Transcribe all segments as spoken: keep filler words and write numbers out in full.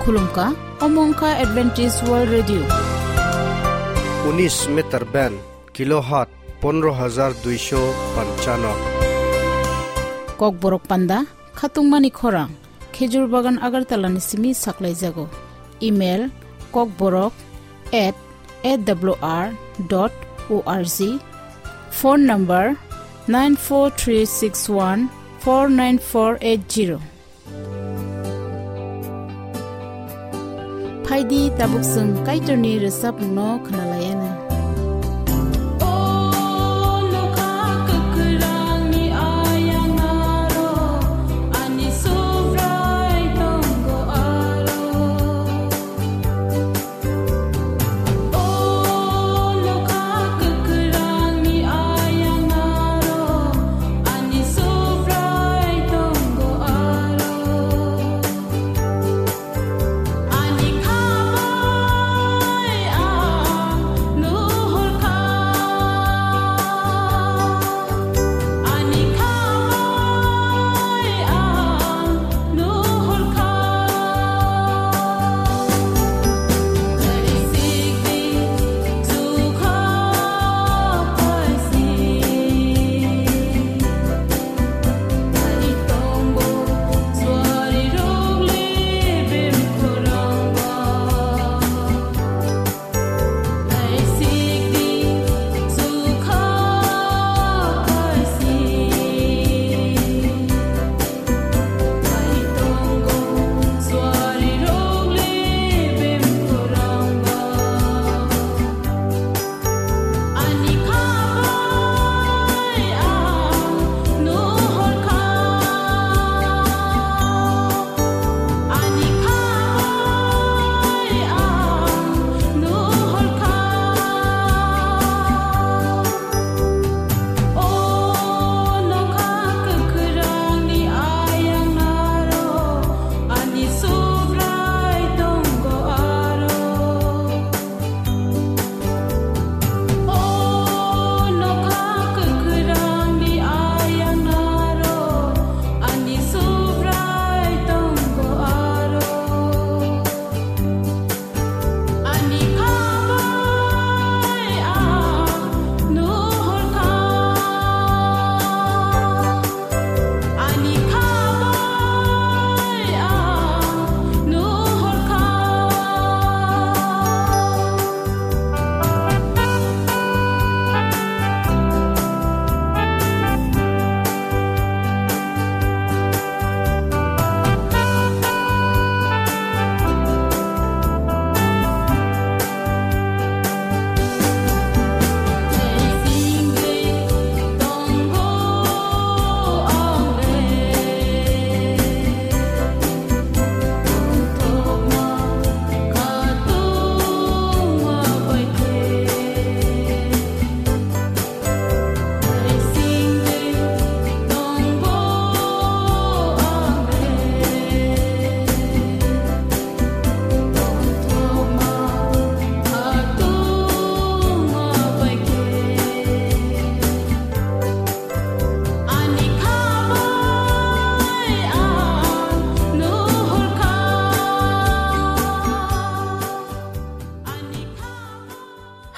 Khulumkha, omo wngkha Adventist World Radio. Unis meter band, kilohertz pondro hajar duisho panchano. Kokborok panda, khatungmani khorang, Khejur Bagan Agartala ni simi saklaijago. Email, kokborok at A W R dot O R G. Phone number, nine four three six one four nine four eight zero. Phaidi, tabuk chwng Kaitorni rwchapmungno khwnalaianw.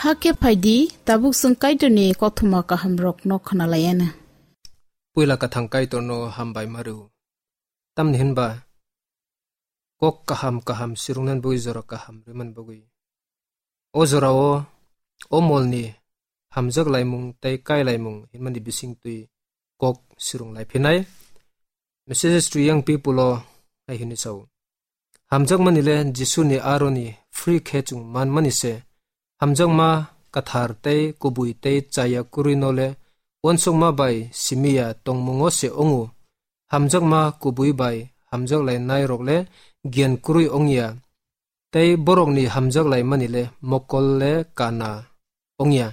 Hakhe phaidi, tabuk chwng Kaitorni kothoma kahamrokno khwnalaianw. Puila kwthang Kaitorno hambai ma rw. Tamni hinba kok kaham kaham sirungnani bagwi jora kaham rwmani bagwi. O jorao o molni hamjak laimung tei kai laimung hinmani bisingtwi kok sirung laiphinai. Messages to Young People o hai hwnwi sao. Hamjakmani le Jisuni aroni free khe chwng manmani se. Hamjakma kwthar tei kubui tei chaya kwrwi no le uansukma bai simi ya tongmungo se wngo. Hamjakma kubui bai hamjak lainai rok le giyan kwrwi wng ya, tei borokni hamjak laimani le mokol le kana wng ya.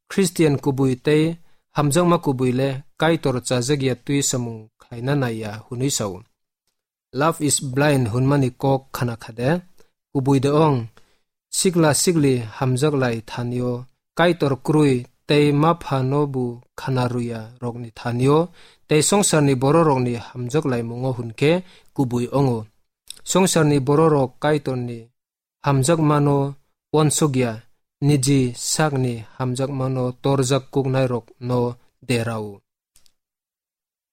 Khristian kubui tei hamjakma kubui le Kaitor chajak ya twi samung khlaina nai ya hwnwi sao. Love is blind hwnmani kok khna kha de? Kubui de ong. Sikla sikli hamjak lai thanio Kaitor kwrwi tei ma phano bu khna rwya rokni thanio tei songsarni bororokni hamjak laimungo hwn khe kubui ongo. Songsarni bororok Kaitorni hamjakmano uansukya, niji sakni hamjakmano torjak kuknairokno derao.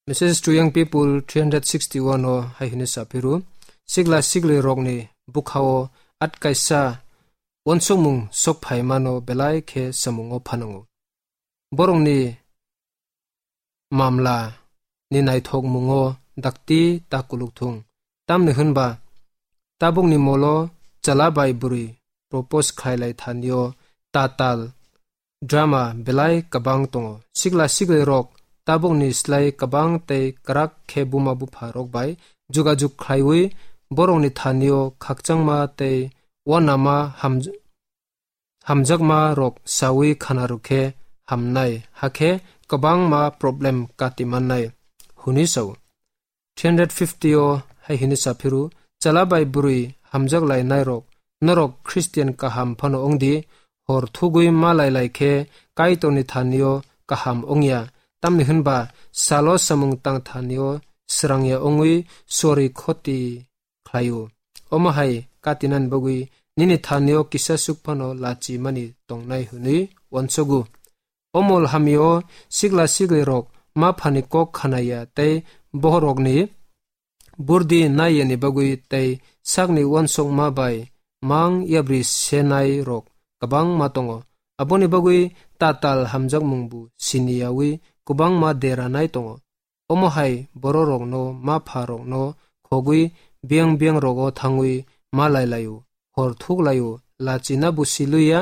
Message to Young People three hundred sixty-one o hai hwnwi saphiru, sikla siklirokni bukhao atkaisa uansukmung sokphaimano belai khe samungo phanango. Borokni mamla ni naithokmungo dakti ta kuluk thung. Tamni hwnba tabukni molo chwla bai bwrwi propose khlailai thanio tatal drama belai kwbang tongo. Sikla siklirok tabukni slai kwbang tei kwrak khe buma bupha rok bai jugajug khlaiwi borokni thanio khakchangma tei uanama hamj-, hamjakma rok sawi khana rw khe hamnai, hakhe kwbangma problem kati mannai hwnwi sao. Three hundred fifty o hai hwnwi saphiru, chwla bai bwrwi hamjak lainai rok, norok Christian kaham phano wng di, hor thugwi ma lai lai khe Kaitorni thanio kaham wng ya, tamni hwnba salo samung tang thanio srang ya wngwi sori khoti khlaio. Omo hai katinani bagwi nini thanio kisa suk phano lachi mani tongnai hwnwi uansugo. O mol hamio sikla siklirok ma phani kok khanaya tei bohrokni burdi naiyani bagwi tei sakni uansukma bai mang yabri senai rok kwbangma tongo. Aboni bagwi tatal hamjakmung bu siniyawi kwbangma deranai tongo. Omo hai bororokno ma pha rokno khogwi biyang biyang rogo thangwi ma lai laio, hor thuk laio, lachina bo siluya,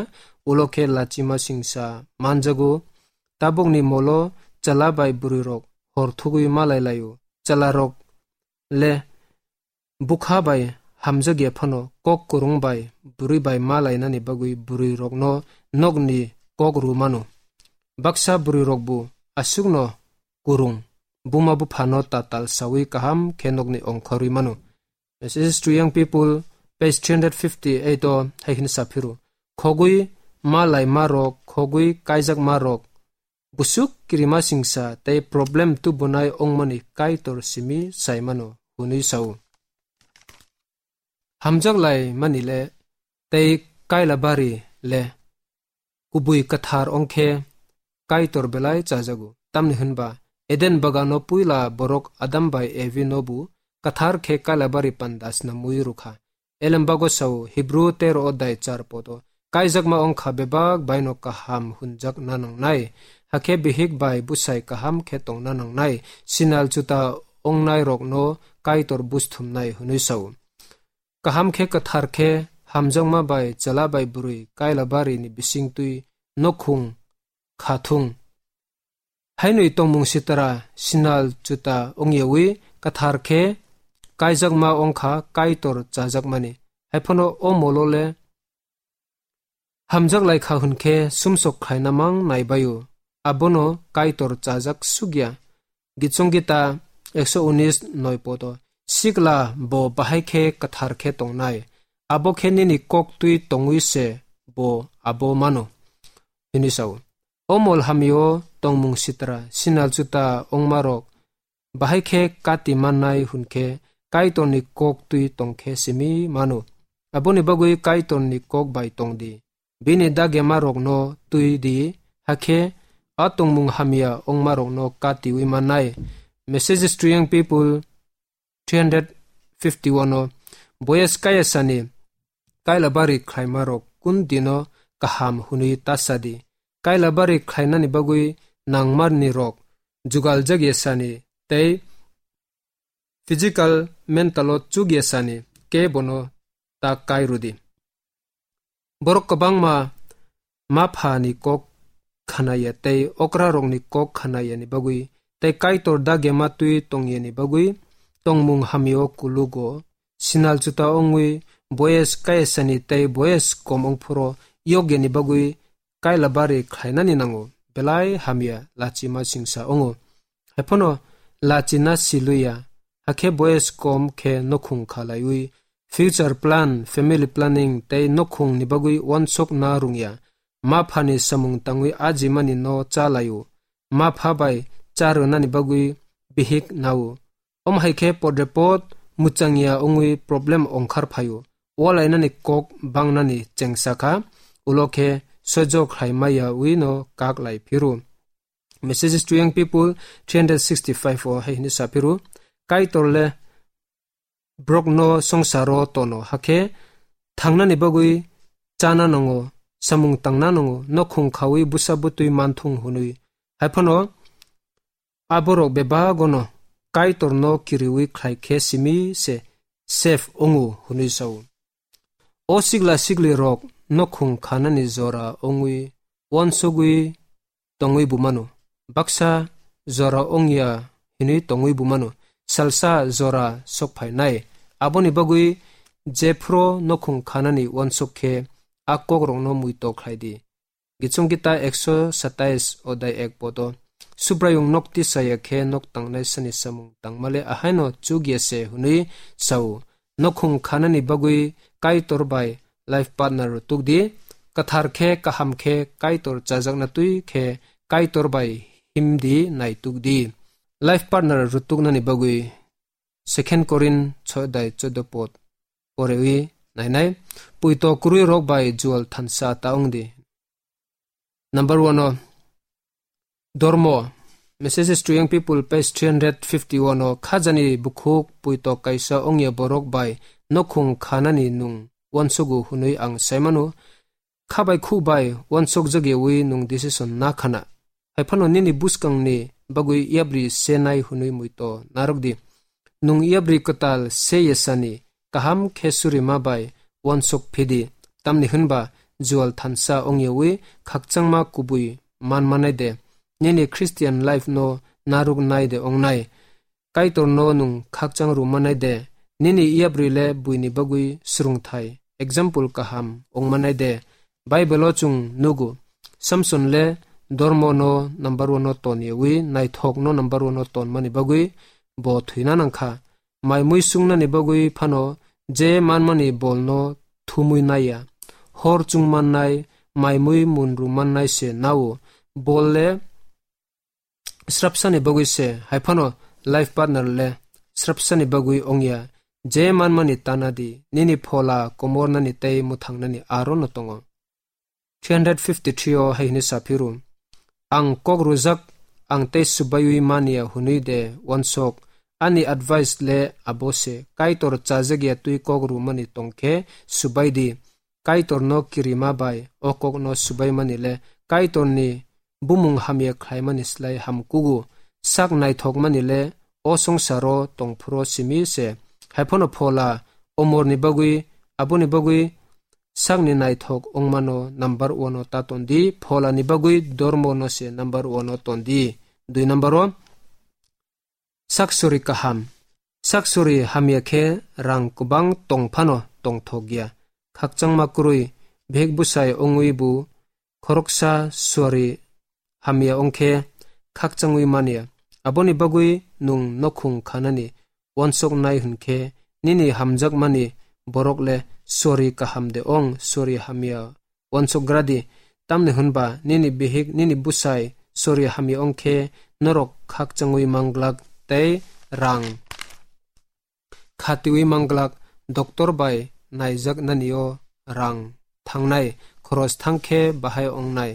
ulo khe lachima singsa manjago. Tabukni molo chwla bai bwrwi rok hor thugwi ma lai laio. Chwla rok le bukha bai hamjak ya phano kok kwrwng bai bwrwi bai ma lainani bagwi bwrwi rokno nokni kok rw mano. Baksa bwrwi rok bo aswkno kwrwng, buma buphano tatal sawi kaham khe nokni ongkhorwi mano. Message to Young People, page three hundred fifty-eight o hai hwnwi saphiru, khogwi ma laima rok, khogwi kaijak ma rok, busuk kirima singsa tei problem tubunai ongmani Kaitor simi saimano hwnwi sao. Hamjak lai mani le tei kaila bari le kubui kwthar ongkhe Kaitor belai chajago. Tamni hwnba Eden bagano puila borok Adam bai Evi no bu kwthar khe kaila bari panda snamwi rwkha. Elem bago sao Hebrew tero odai char podo, kaijakma ongkha bebak baino kaham hunjak na nangnai, hakhe bihik bai bwsai kaham khe tongna nangnai, sinal juta ongnai rokno Kaitor busthumnai hwnwi sao. Kaham khe kwthar khe hamjakma bai chwla bai bwrwi kaila bari ni bisingtwi nokhung kha thung. Hainwi tongmung sitra sinal juta ongyawi kwthar khe kaijakma ongkha Kaitor chajakmani. Haiphano o molo le hamjak lai kha hwn khe sumsok khlaina mang naibaio, abono Kaitor chajak sukya. Gichong Gita ekso unis noi podo, sikla bo bahai khe kwthar khe tongnai, abo khe nini kok twi tongwi se bo abo mano, hwnwi sao. O mol hamio tongmung sitra sinal juta ongmarok bahai khe kati mannai hwn khe Kaitorni kok twi tong khe simi mano. Aboni bagwi Kaitorni kok bai tong di. Bini dagema rokno twi di, hakhe a tongmung hamya ongma rokno katiwi mannai. Messages to Young People three hundred fifty-one o, boyes kaya sani kaila bari khlaima rok kun dino kaham hwnwi ta sa di. Kaila bari khlainani bagwi nangmarni rok jugal jak ya sani tei physical, mental o chuk ya sani kebono ta kai rw di. Borok kwbangma ma pha ni kok khanaya tei okra rokni kok khanaya ni bagwi tei Kaitor dagema twi tongya ni bagwi tongmung hamya o kulugo. Sinal juta ongwi boyes kaya sani tei boyes kom ongphuru yokya ni bagwi kaila bari khlainani nango, belai hamya lachima singsa ongo. Haiphano lachina siluya, hakhe boyes kom khe nokhung khalaiwi future plan, family planning tei nokhung ni bagwi wansok na rungya. Ma phani samung tangwi ajimani no cha laio. Ma pha bai cha rwnani bagwi bihik nao. Om hai khe podrepot muchangya wngwi problem ongkhar phaio. Walainani kok bangnani chengsa kha, ulo khe soijo khlai maya wi no kak lai phiru. Messages to Young People three hundred sixty-five o hai hwnwi sa phiru, Kaitor le borok no songsaro tono hakhe thangnani bagwi chana nango, samung tangna nango, nokhung khawi busa butwi manthung hwnwi. Haiphano aborok bebagono Kaitorno kiriwi khlai khe simi se safe wngo hwnwi sao. O sigla sigli rok nokhung khanani jora wngwi uansugwi tongwi bumano. Baksa jora wngya hinwi tongwi bumano. Salsa jora sokphainai. Aboni bagwi jephru nokhung khanani uansuk khe a kokrokno muito khlai di. Gichung gita ekso satais odai ek podo. Subraiyung nok tisaya khe nok tangnai sani samung tangmale ahaino chukya se hwnwi sao. Nokhung khanani bagwi Kaitor bai life partner rutuk di. Kathar khe kaham khe Kaitor chajakna twi khe Kaitor bai himdi naituk di. Life partner rutuknani bagwi Second Korin soi dai choudo pod porewi nainai. Puito kwrwi rok bai jual thansa ta wngdi. Number one o Dormo, Messages to Young People, page three hundred fifty-one o, khajani bukhuk puito kaisa ongya borok bai nokhung khanani nung uansugo hwnwi ang saimano. Khabai khu bai uansuk jagyawi nung decision na khana. Haiphano nini buskangni bagwi yapri se nai hwnwi muito narwk di. Nung yapri kwtal se yesani kaham khe surima bai uansuk phidi, tamni hwnba jual thansa ongyawi khakchangma kubui man manai de, nini Christian life no narwk nai de ongnai. Kaitor no nung khakchang rw manai de, nini yapri le buini bagwi swrwngthai, example kaham ong manai de. Bible o chwng nugo, Samson le dormo no number one o ton yawi naithok no number one o ton mani bagwi bo thwina nangkha. Mai mui sungnani bagwi phano je manmani bol no thumwi naiya. Hor chung mannai, mai mui munru mannai se nao. Bol le srapsani bagwi se, haiphano life partner le srapsani bagwi ongya. Je manmani tana di, nini phola komornani tei mwthangnani aro no tongo. Three hundred fifty-three o hai hwnwi sa phiru, ang kok rwjak, ang tei subaiwi manya hwnwi de uansok, ani advice le abo se, Kaitor chajak ya twi kok rwmani tong khe subai di. Kaitor no kirima bai o kok no subai mani le Kaitor ni bumung hamya khlai mani slai ham kugo. Sak naithok mani le o songsaro tong phuru simi se. Haiphano phola omor ni bagwi, aboni bagwi sakni naithok ongmano number one o ta ton di, phola ni bagwi dormo no se number one o ton di. Dui number o, sak suri kaham. Sak suri hamya khe rang kwbang tong phano tongthok ya. Khakchangma kwrwi, bihik bwsai ongwi bo khoroksa suri hamya ong khe khakchangwi manya. Aboni bagwi nung nokhung khanani uansok nai hwn khe nini hamjakmani borok le suri kaham de ong, suri hamya uansok gra di. Tamni hwn ba nini bihik, nini bwsai suri hamya ong khe norok khakchangwi man glak tei rang khatiwi man glak. Doctor bai naijak nani o rang thangnai, khoros thang khe bahai ong nai.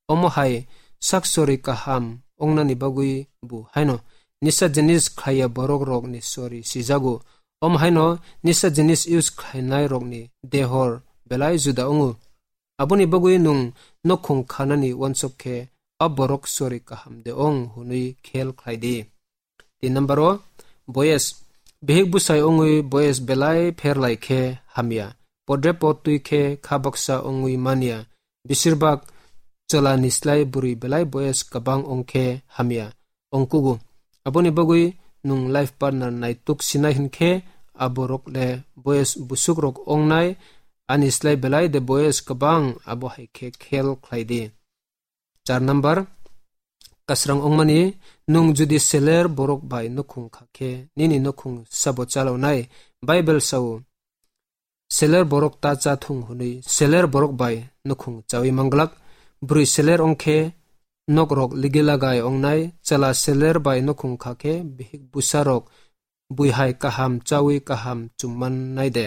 Omo hai sak suri kaham ong nani bagwi bo haino nisa jinis khlai ya borok rok ni suri sijago. Omo haino nisa jinis use khlai nai rok ni dehor belai juda ongo. Aboni bagwi nung nokhung khanani uansok khe a borok sori kaham de ong hwnwi khel khlai di. Tin number o, boyes. Bihik bwsai ongwi boyes belai pher lai khe hamya. Podre pod twi khe kha baksa ongwi manya. Besirbak chwla ni slai bwrwi belai boyes kwbang ong khe hamya ong kugo. Aboni bagwi nwng life partner naituk sinai hwn khe aborok le boyes busuk rok ong nai, ani slai belai de boyes kwbang, abo hai khe khel khlai di. Char number, kasrang ongmani, nwng jodi seler borok bai nukhung kha khe nini nukhung sabo chalonai? Bible sao, seler borok ta cha thung hwnwi seler borok bai nukhung chawi manglak. Bwrwi seler ong khe nok rok ligi lagai ong nai, chwla seler bai nukhung kha khe bihik bwsa rok buihai kaham chawi kaham chumman nai de.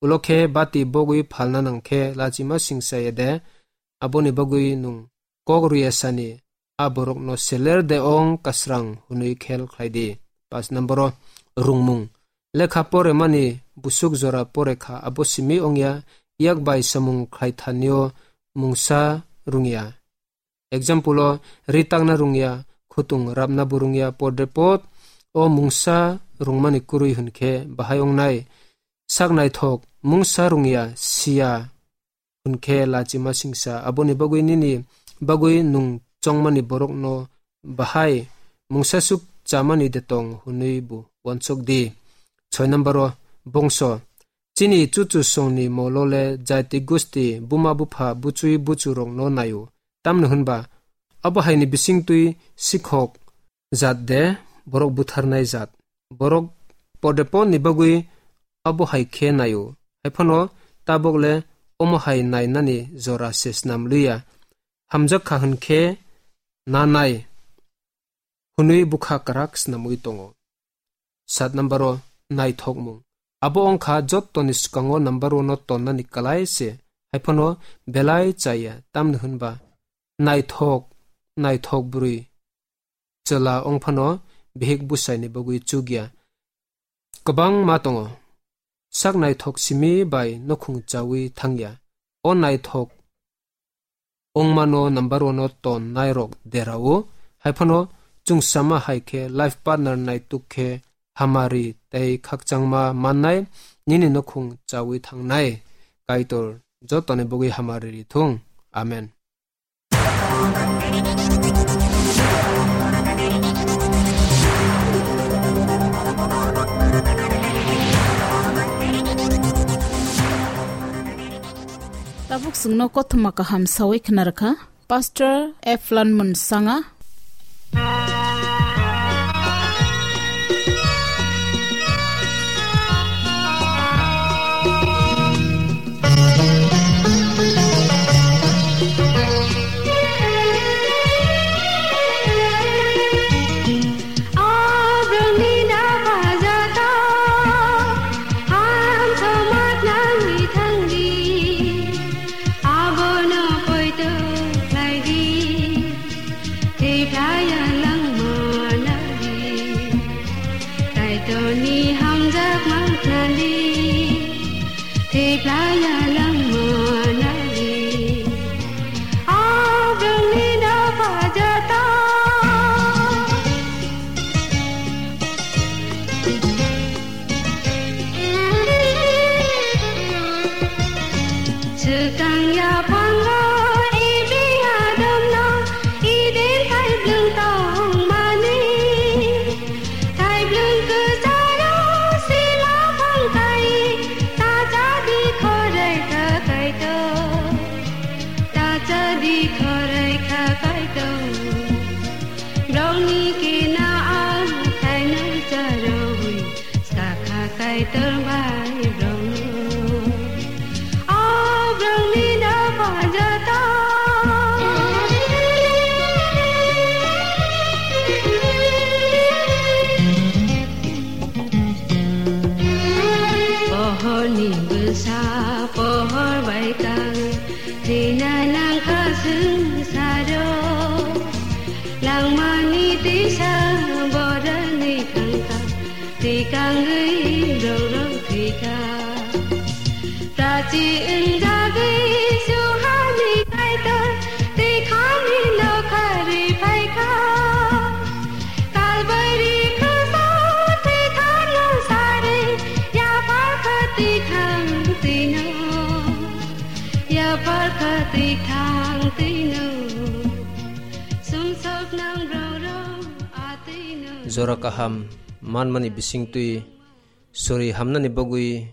Ulo khe bati bogwi phalna nang khe lachima singsa ya de, aboni bagwi nwng kok rwya sani a borokno seler de ong kasrang hwnwi khel khlai di. Pas number o rungmung. Lekha pore mani busuk jora pore kha abo simi ongya, yak bai samung khlai thanio mungsa rungya. Example o ri takna rungya, khutung rapna bo rungya, podre pod o mungsa rungmani kwrwi hwn khe bahai wngnai. Sak naithok mungsa rungya, siya hwn khe lachima singsa, aboni bagwi nini bagwi nwng chongmani borokno bahai mungsasuk chamani de tong hwnwi bo uansuk di. Soi number o bongso. Chini chuchu songni molo le jaiti gusti, buma bupha, buchwi buchurokno naio. Tamni hwnba abo haini bisingtwi sikhok jat de, borok butharnai jat. Borok podeponni bagwi abo hai khe naio. Haiphano tabok le omo hai nainani jora se snam liya. Hamjak kha hwn khe nanai hwnwi bwkha kwrak snamwi tongo. Sat number o naithokmung. Abo wngkha jottoni swkango number one o tonnani kwlai se, haiphano belai chaya, tamni hwnba naithok, naithok bwrwi chwla wngphano bihik bwsaini bagwi chukya. Kwbangma tongo. Sak naithok simi bai nukhung chawi thangya. O naithok wngmano number one o ton nairok derao. Haiphano chwngsama hai khe life partner naituk khe hamari tei khakchangma mannai, nini nukhung chawi thangnai. Kaitor jotoni bagwi hamari ri thung. Amen. Tabuk chwngno kothoma kaham sawi khna rwkha Pastor Eflan Munsanga. Thwiplaya langma nadi, Kaitorni hamjakma khnadi. Thwiplaya langma nadi, o bwrwngni dopha joto. Swkang yaphango Ebi Adamno Eden thaiblwng tongmani. Thaiblwng kwcharo sima phang kai, ta cha di khorai kha Kaitor, ta cha di khorai kha Kaitor. Brongni kina ang thaino charwi. Sakha Kaitor bai brongno, o brongni dopha joto. Pohorni bwsa pohor bai kang, thwina nangkha swngsaro. Langmani tisa borani thangkha. Tikangwi borok thwikha. Prachi wngjagwi suhani Kaitor, tikhani nokharwi phaikha. Kalbari khuso thwithangno sari, yapharkha tikhang twino, yapharkha tikhang twino. Sumsok nang borok atwino. Jora kaham manmani bisingtwi sori hamnani bagwi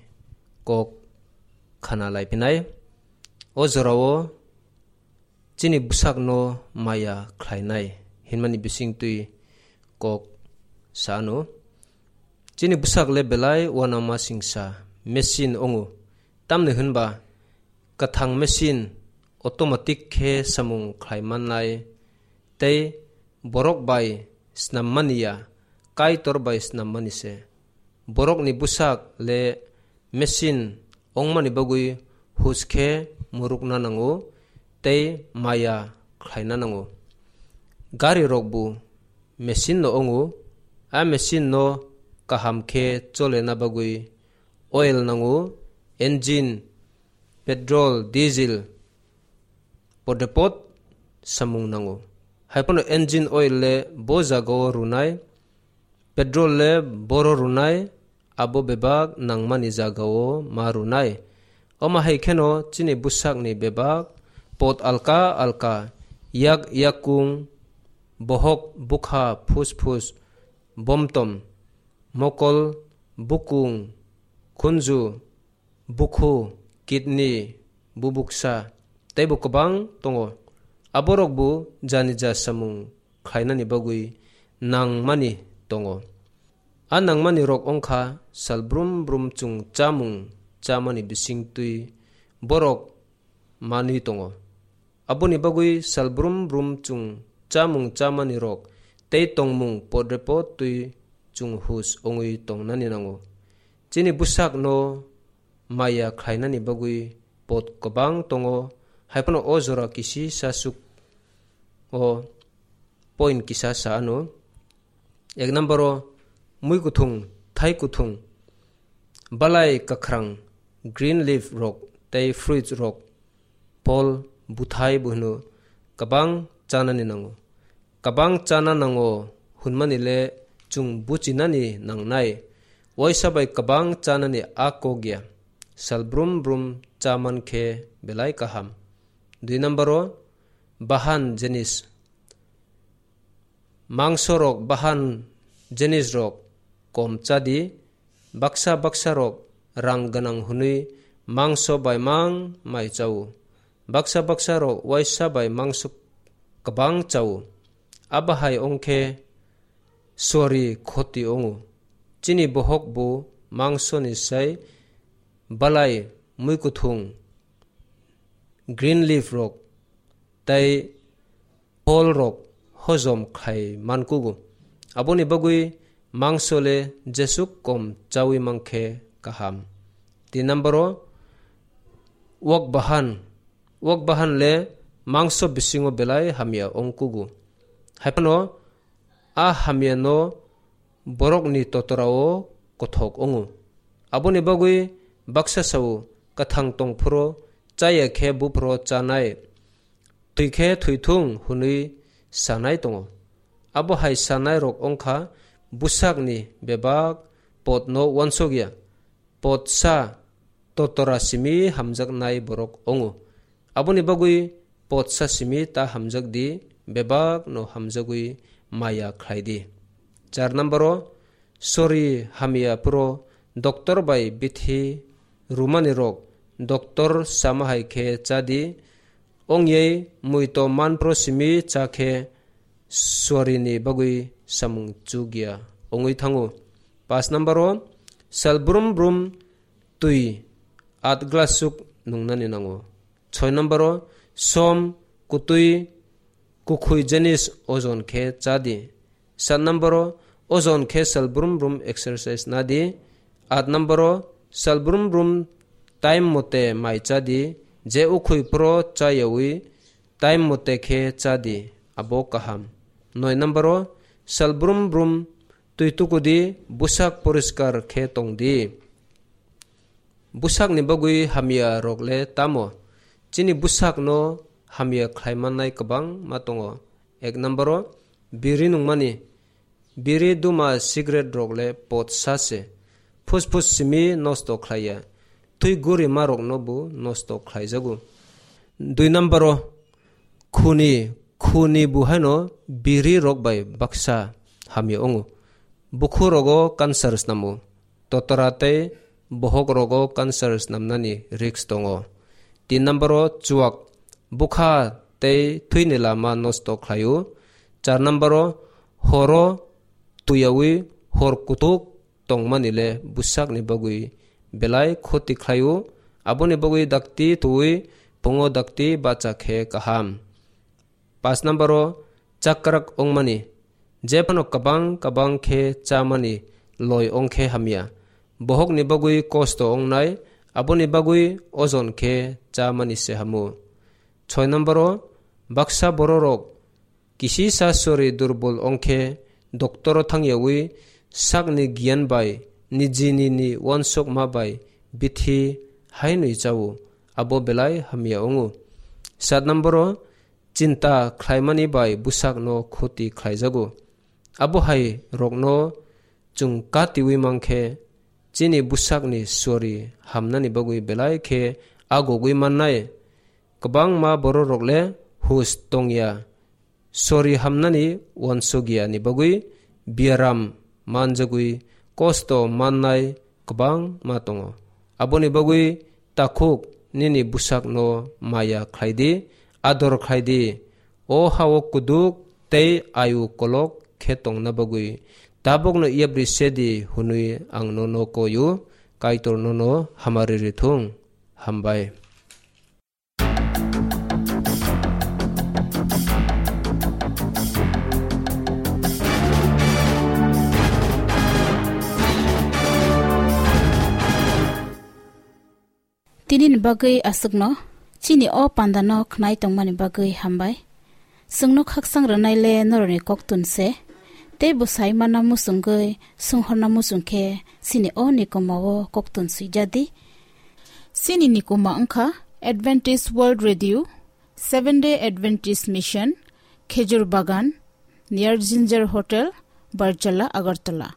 kok khana laiphinai. O jorao chini bwsakno maya khlainai hinmani bisingtwi kok sano. Chini bwsak le belai uanama singsa machine wngo, tamni hwnba kwthang machine automatic khe samung khlai mannai tei borok bai snam mani ya, Kaitor bai snam mani se. borokni bwsak le machine wngmani bagwi hus khe murukna nango tei maya khlaina nango. Gari rokbo machine no wngo, a machine no kaham khe cholena bagwi oil nango, engine, petrol, diesel, podepot samung nango. Haiphano engine oil le bo jagao rwnai, petrol le boro rwnai, abo bebak nangmani jagao ma rwnai. Omo hai kheno chini bwsakni bebak pot alka alka, yak yakung, bohok, bukha, phus phus, bomtom, mokol, bukung, khunju, bukhu, kidney, bubuksa, teibo kwbang tongo. Aborokbo jani ja samung khlainani bagwi nangmani tongo. A nangmani rok wngkha sal brum brum chwng chamung chamani bisingtwi borok manwi tongo. Aboni bagwi sal brum brum chwng chamung chamani rok tei tongmung podrepot twi chwng hus wngwi tongnani nango. Chini bwsakno maya khlainani bagwi pot kwbang tongo, haiphano o jora kisi sasuk o point kisa sa ano. Ek number o mui kuthung, thai kuthung, balai kwkhrang, green leaf rok tei fruits rok, phol, buthai buhno kwbang chanani nango. Kwbang chana nango hwnmani le chwng buchinani nangnai. Waisa bai kwbang chanani a kok ya. Sal brum brum cha man khe belai kaham. Dui number o bahan jenis. Mangso rok bahan jenis rok kom cha di. Baksa baksa rok rang gwnang hwnwi mangso bai mang mai chao. Baksa baksa rok waisa bai mangso kwbang chao. Abo hai wng khe suari khoti wngo. Chini bohok bo mangso ni sai balai, mui kuthung, green leaf rok tei phol rok hojom khai man kugo. Aboni bagwi mangso le jesuk kom chawi man khe kaham. Tin number o wak bahan. Wak bahan le mangso bisingo belai hamya wng kugo. Haiphano a hamya no borokni totorao kothok wngo. Aboni bagwi baksa sao, kwthang tong phuru chaya khe buphuru chanai, thwi khe thwithung hwnwi sanai tongo. Abo hai sanai rok wngkha bwsakni bebak potno uansuk ya. Potsa totora simi hamjaknai borok wngo. Aboni bagwi potsa simi ta hamjak di, bebak no hamjagwi maya khlai di. Char number o sori hamya phuru doctor bai bithi rumani rok doctor sama hai khe cha di, ongye muito manpro simi cha khe suarini bagwi samung chukya wngwi thango. Pas number o sal brum brum twi at glass suk nungnani nango. Soi number o som kutwi kukhui jenis ojon khe cha di. Sat number o ojon khe sal brum brum exercise na di. At number o sal brum brum time mote mai cha di. Je ukhui phuru cha yawi time mote khe cha di, abo kaham. Noi number o sal brum brum twi tukudi, bwsak poriskar khe tong di. Bwsakni bagwi hamya rok le tamo? Chini bwsakno hamya khlai mannai kwbangma tongo. Ek number o biri nungmani. Biri, duma, cigarette rok le potsa se. Phusphus simi nosto khlai ya. Twi gurima rokno bo nosto khlai jago. Dui number o khuni, khuni bo haino biri rok bai baksa hamya wngo. Bukhu rogo cancer snamo. Totora tei bohok rogo cancer snamnani risk tongo. Tin number o chuak, bukha tei thwini lama nosto khlaio. Char number o horo tuyawi hor kutuk tongmani le bwsakni bagwi belai khoti khlaio. Aboni bagwi dakti twi pungo dakti bacha khe kaham. Pas number o chakrak wngmani. Jephano kwbang kwbang khe chamani loi wng khe hamya. bohokni bagwi kosto wngnai, aboni bagwi ojon khe chamani se hamo. Soi nomboro, baksa bororok kisisa sori durbol ongkhe doktoro thangyawi sakni giyan bai nijini ni wansokma bai bithi hainwi chao, abo belai hamya wngo. Sat nomboro, chinta khlaimani bai bwsakno khoti khlaijago. Abo hai rokno chwng katiwi mankhe, chini bwsakni sori hamnani bagwi belai khe agogwi mannai. Kwbangma bororok le hus tongya, sori hamnani wansokya ni bagwi biaram manjagwi kosto mannai kwbangma tongo. Aboni bagwi takhuk nini bwsakno maya khlai di, ador khlai di. O hao kuduk tei ayu kolok khe tongna bagwi tabukno yapri se di hwnwi ang nono koi-o, Kaitor nono hamari rithung. Hambai. Tini ni bagwi aswkno, chini o pandano khnai tongmani bagwi hambai. Chwngno khaksang rwnai le norokni koktun se, tei bwsai manna muchungwi swnghorna muchung khe chini o nikoma o koktun swijadi. Chini nikoma wngkha Adventist World Radio, Seventh Day Adventist Mission, Khejur Bagan, near Ginger Hotel, Barjala, Agartala.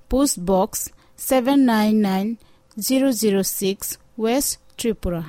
Post Box seven nine nine zero zero six, West Tripura.